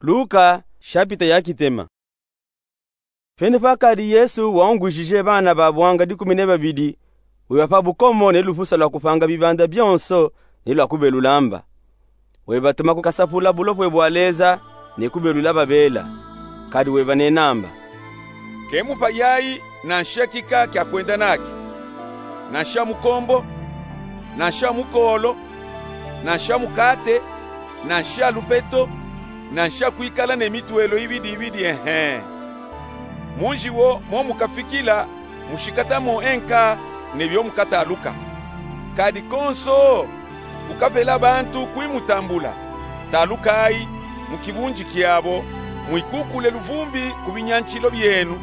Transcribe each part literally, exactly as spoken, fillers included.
Luka, shapita ya kitema. Pene pakadi Yesu waungujije bana ba bwanga dikumi ne babidi, weba pa bukomo ne lufusa lwa kupanga bibanda bionso ne lwa kubelula mba. Webatuma ku kasapula bulopwe bwa Leza ne kubelula babela. Kadi webanena mba: Ke mupayayi nansha kika kya kwenda nakyo, nansha mukombo, nansha mukolo, nansha mukate, nansha lupeto, nansha kwikala ne mitwelo ibidi ibidi, ehe. Mu nzi wo mo mukafikila, mushikata mo enka ne byo mukataluka. Kadi konso kukapela bantu kwi mutambula. Talukayi mu kibunzi kyabo, mwikukule luvumbi ku binyantyilo byenu,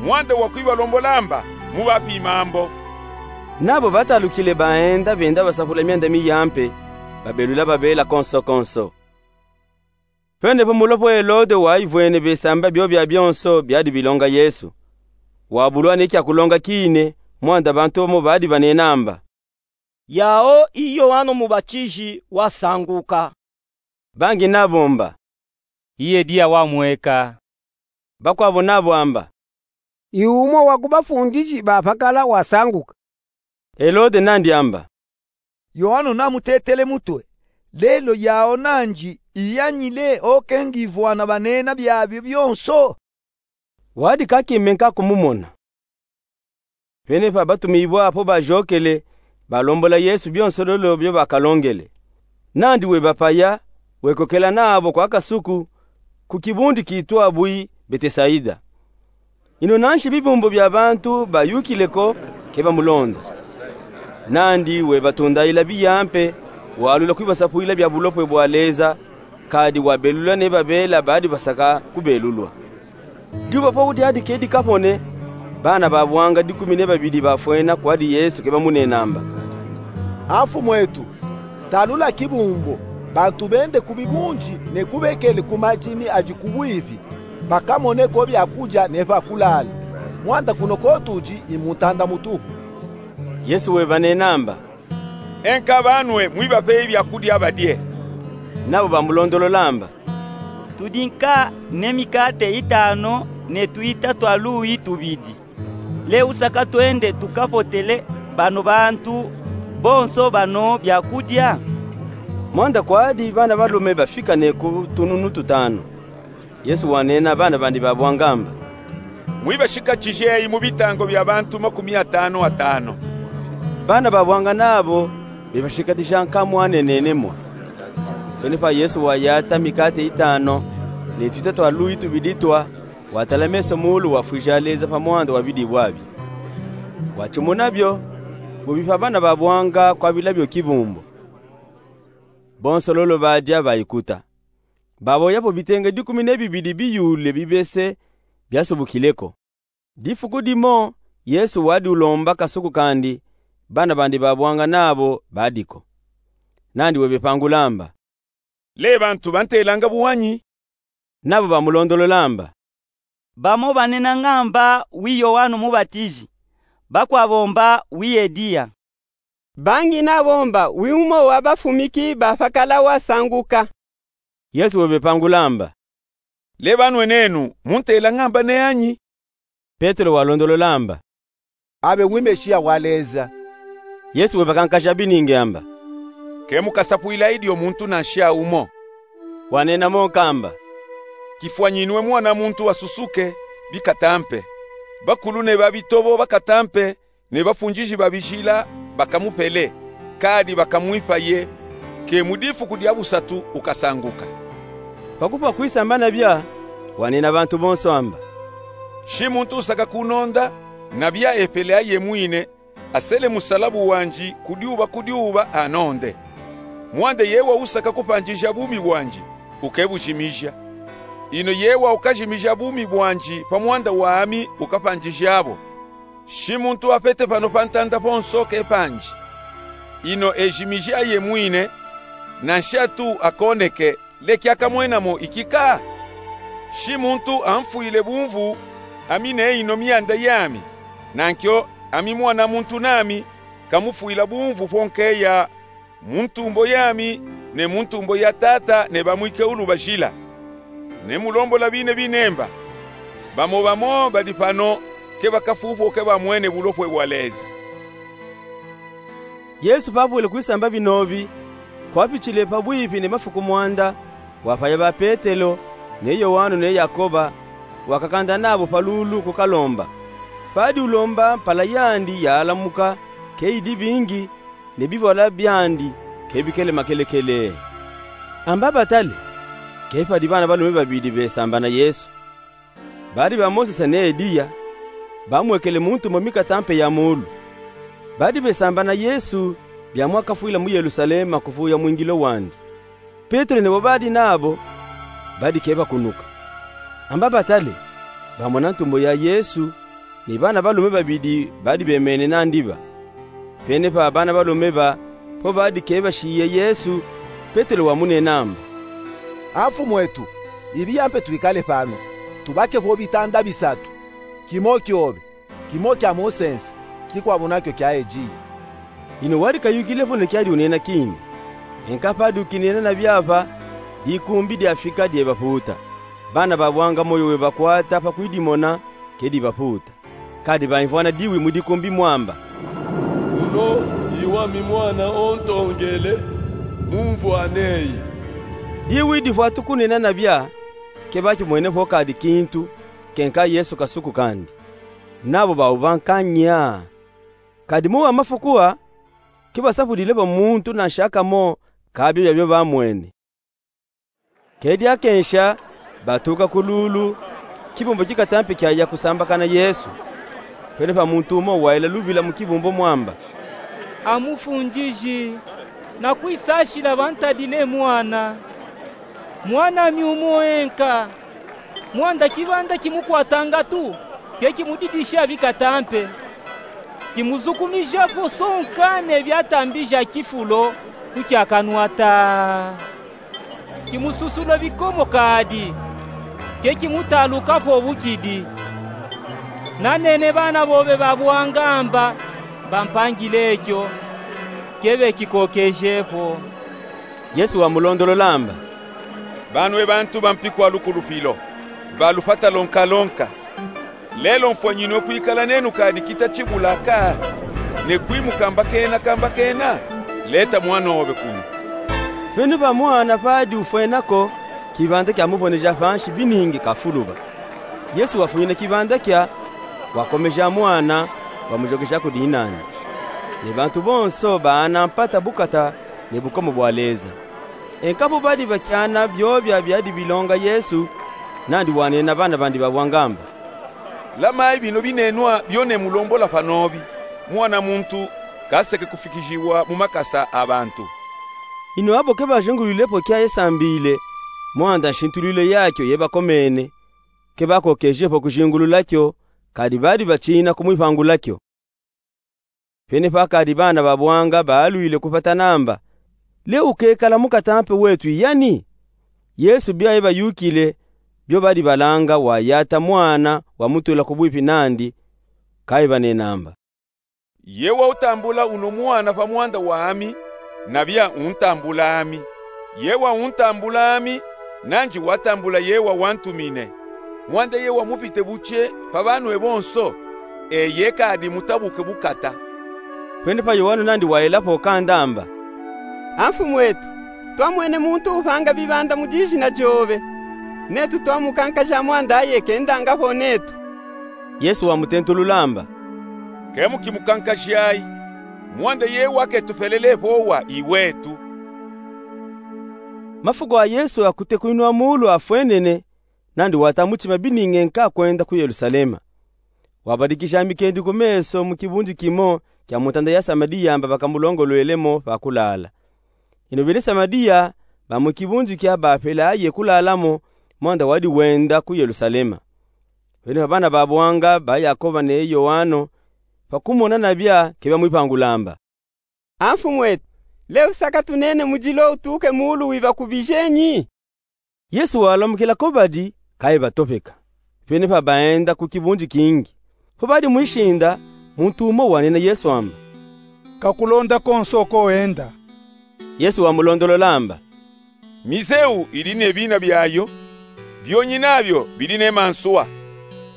mwanda wa kwibalombola mba, mubapima mbo. Nabo batalukile baenda benda basapula myanda miyampe, babelula babela konso konso. Pene po mulopwe Helode wayivwene besamba byo byabyonso byadi bilonga Yesu. Wabulwa ne kya kulonga kine, mwanda bantu bamo badi banena mba: Yawu i Yowanu Mubatizi wasanguka. Bangi nabo mba: I Eliya wamweka. Bakwabo nabo amba: I wumo wa ku bafundisi bafakala wasanguka. Helode nandi amba: Yowanu namutetele mutwe, lelo yawu nandi iyanyile oke ngivwana banena byabyo byonso. Wadi kakimbenka kumumona. Pene pa batumibwa apo bajokele, balombola Yesu byonso lolo byo bakalongele. Nandi webapaya, wekokela nabo kwa kasuku, ku kibundi kitwa bwi Betesaida. Ino nanshi bibumbu bya bantu bayukile ko ke bamulonda. Nandi webatundayila biyampe, walwila kwibasapwila bya bulopwe bwa Leza, kadi wabelula ne babela badi basaka kubelulwa. Dyuba po dyadi kedi kapone, bana ba bwanga dikumi ne babidi bafwena kwadi Yesu ke bamunena mba: A Mfumwetu, talula kibumbu, bantu bende ku bibunzi ne kubekele ku madimi adi ku bwibi, bakamone ko byakudya ne pa kulala. Mwanda kuno ko tudi i mu ntanda mutuhu. Yesu webanena mba: Enka banwe mwibapeyi byakudya badye. Nabo bamulondolola mba: Tudi nka ne mikate itano ne twita twa luyi tubidi. Le usaka twende tukapotele bano bantu bonso bano byakudya? Mwanda kwadi bana balume bafika ne ku tununu tutano. Yesu wanena bana bandi ba bwanga mba: Mwibashikatijeyi mu bitango bya bantu makumi atano atano. Bana ba bwanga nabo bebashikatija nka mwanenene mwa. Pene pa Yesu wayata mikate itano ne twita twa luyi tubidi twa, watala meso muulu, wafwija Leza pa mwanda wa bidi bwabi. Watimuna byo, wabipa bana ba bwanga kwabila byo kibumbu. Bonso lolo badya bayikuta. Baboya po bitenge dikumi ne bibidi biyule bibese byasubukile ko. Difuku dimo, Yesu wadi ulomba kasuku kandi, bana bandi ba bwanga nabo badi ko. Nandi webepangula mba: Le bantu bantelanga buwanyi? Nabo bamulondolola mba: Bamo banenanga mba wi Yowanu Mubatizi, bakwabo mba wi Eliya. Bangi nabo mba wi wumo wa bafumiki bafakala wasanguka. Yesu webepangula mba: Le banwe nenu muntelanga mba neyanyi? Petelo walondolola mba: Abe wi Mesiya wa Leza. Yesu webakankaja biningi amba: Ke mukasapwilayi dyo muntu nansha wumo. Wanena mo nka amba: Kifwanyinwe Mwana muntu asusuke, bikatampe. Bakulu ne babitobo bakatampe, ne bafundiji ba bijila bakamupele, kadi bakamwipaye, ke mu difuku dya busatu ukasanguka. Pa kupwa kwisamba na bya, wanena bantu bonso amba: Shi muntu usaka kunonda, na bya epele aye mwine, asele musalabu wandi ku dyuba ku dyuba anonde. Mwanda yewa usaka kupandija bumi bwandi, ukebujimija. Ino yewa ukajimija bumi bwandi pa mwanda wami ukapandija bo. Shi muntu apete pano pa ntanda ponso ke pandi. Ino ejimiji aye mwine, nansha tu akoneke, leki akamwenamo ikika? Shi muntu amfwile bumvu, ami ne ino myanda yami, nankyo ami Mwana muntu nami, kamufwila bumvu pwo nkeya mu ntumbo yami, ne mu ntumbo ya Tata ne bamwike ulubajila. Ne mulombola bine binemba. Bamo bamo badi pano ke bakafuupwa ke bamwene bulopwe bwa Leza. Yesu pavwile kwisamba binobi, kwapitile pabwipi ne mafuku mwanda, wapaya ba Petelo, ne Yowanu ne Yakoba, wakakanda nabo pa lulu kukalomba. Padi ulomba mpala yandi yaalamuka, ke idi bingi, ne bivwala byandi ke bikele makelekele. Amba batale, ke padi bana balume babidi besamba na Yesu. Badi bamosesa ne Eliya, bamwekele mu ntumbo mikatampe ya muulu. Badi besamba na Yesu bya mwakafwila mu Yelusalema kuvuya mwingilo wandi. Petelo ne bo badi nabo badi ke bakunuka. Amba batale, bamona ntumbo ya Yesu, ni bana balume babidi badi bemene nandi ba. Pene pa bana balume ba, po badi ke bashiye Yesu, Petelo wamunena amba: A Mfumwetu, ibiya mpe twikale pano, tubake vo bitanda bisatu, kimo kyobe, kimo kya musense, kikwabu nakyo kya Eliya. Ino wadi kayukile vo ne kyadi unena kindi. Enka padi ukinena na byapa, dikumbi dyafika dyebapuuta. Bana babwanga moyo webakwata pa kwidimona ke dibapuuta. Kadi baimvwana diwi mu dikumbi mwamba: Uno i wami mwana ontongele, mumvwaneyi. Diwi divwatuku nena na bya, ke bakimwene vo kadi kintu, ke nka Yesu kasuku kandi. Nabo baubanka nya. Kadi mu wa mafuku a, ke basapudile vo muntu nanshakamo ka byo byabyo bamwene. Ke dyakensha, batuka ku lulu, kibumbu kikatampe kyaya kusambakana Yesu. Pene pa muntu umo wayila lubila mu kibumbu mwamba: A Mufundiji, nakwisashila bantadile mwana, mwanami umo enka. Mwanda kibanda kimukwatanga tu, ke kimudidisha bikatampe, kimuzukumijapo sonka ne byatambija kifulo ku kya kanwata. Kimususula bikomo kadi, ke kimutalukapo bukidi. Nanene bana bobe babwanga amba bampangile ekyo, ke bekikokejepo. Yesu wamulondolola amba: Banu e bantu bampiku a lukulupilo, balufata lonka lonka. Lelo mfwanyinwe kwikala nenu kadi kita chibula ka, ne kwimuka mbakena ka mbakena? Leta mwana obe kunu. Pene pa mwana padi ufwena ko, kibanda kyamuboneja panshi biningi kafuluba. Yesu wafwina kibanda kya, wakomeja mwana, wamujokeja ku dinani. Ne bantu bonso baana mpata bukata ne bukomo bwa Leza. Enka po badi bakyana byobya byadi bilonga Yesu, nandi wanena bana bandi babwanga amba: Lamayi bino binenwa byo ne mulombola panobi, Mwana muntu kaseke kufikijiwa mu makasa a bantu. Ino abo ke bajingulwilepo kya yesambile, mwanda nshintulwilo yakyo yebakomene, ke bakokejepo kujingulula kyo, kadi badi batiina kumwipangula kyo. Pene pakadi bana babwanga baalwile kupatana amba: Le ukekala mukatampe wetu i yani? Yesu byaye bayukile, byo badi balanga wayata mwana wamutula kubwipi nandi, kaye banena amba: Ye wautambula uno mwana pa mwanda wami, na bya untambula ami. Ye wauntambula ami, nanji watambula ye wawantumine. Mwanda ye wamupite buche pa banwe bonso, eye kadi mutabuke bukata. Pene pa Yowanu nandi wayelapo kanda amba: A Mfumwetu, twamwene muntu upanga bibanda mu dijina dyobe, netu twamukankaja mwanda aye kendangapo netu. Yesu wamutentulula amba: Ke mukimukankajayi, mwanda ye waketupelelepo wa i wetu. Mafuku a Yesu a kutekwinwa muulu afwenene, nandi wata mutima biningi nka kwenda ku Yelusalema. Wabadikija mikendi ku meso mu kibundu kimo kya mu ntanda ya Samadiya amba bakamulongolwelemo pa kulala. Ino bene Samadiya ba mu kibundu kya bapelaye kulalamo, mwanda wadi wenda ku Yelusalema. Pene pa bana babwanga ba Yakoba ne Yowanu, pa kumona na bya ke bamwipangula amba: A Mfumwetu, le usaka tunene mujilo utuke muulu wibakubijenyi? Yesu walamukila ko badi, kaye batopeka. Pene pa baenda ku kibundu kingi. Po badi mwishinda, muntu umo wanena Yesu amba: Kakulonda konso ko enda. Yesu wamulondolola amba: Mizeu idi ne bina byayo, Byonyina byo bidi ne mansuwa.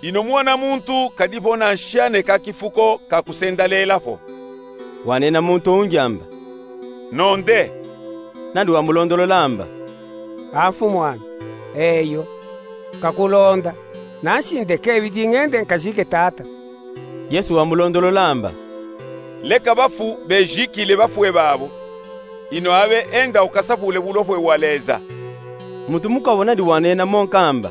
Ino Muwanamuntu kadipo na nshaneka kifuko ka kusendaleela po. Wanena muntu owundji amba: Nonde. Nandi wamulondolola amba: A Mfumuami, eyo, nkakulonda, nanshi ndeke bidi ngende nkajike tata. Yesu wamulondolola amba: Leka bafu bejikile bafwe babo. Ino abe enda ukasapule bulopwe bwa Leza. Muntu mukwawo nandi wanena mo nkamba: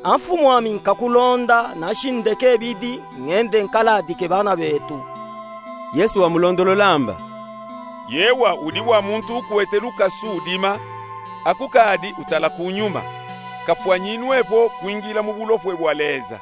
A Mfumuami, nkakulonda, nanshi ndeke bidi ngende nkaladike bana betu. Yesu wamulondolola amba: Yewa udi bwa muntu ukwete lukasu udima, akukadi utala kunyuma, kafwanyinwe po kwingila mu bulopwe bwa Leza.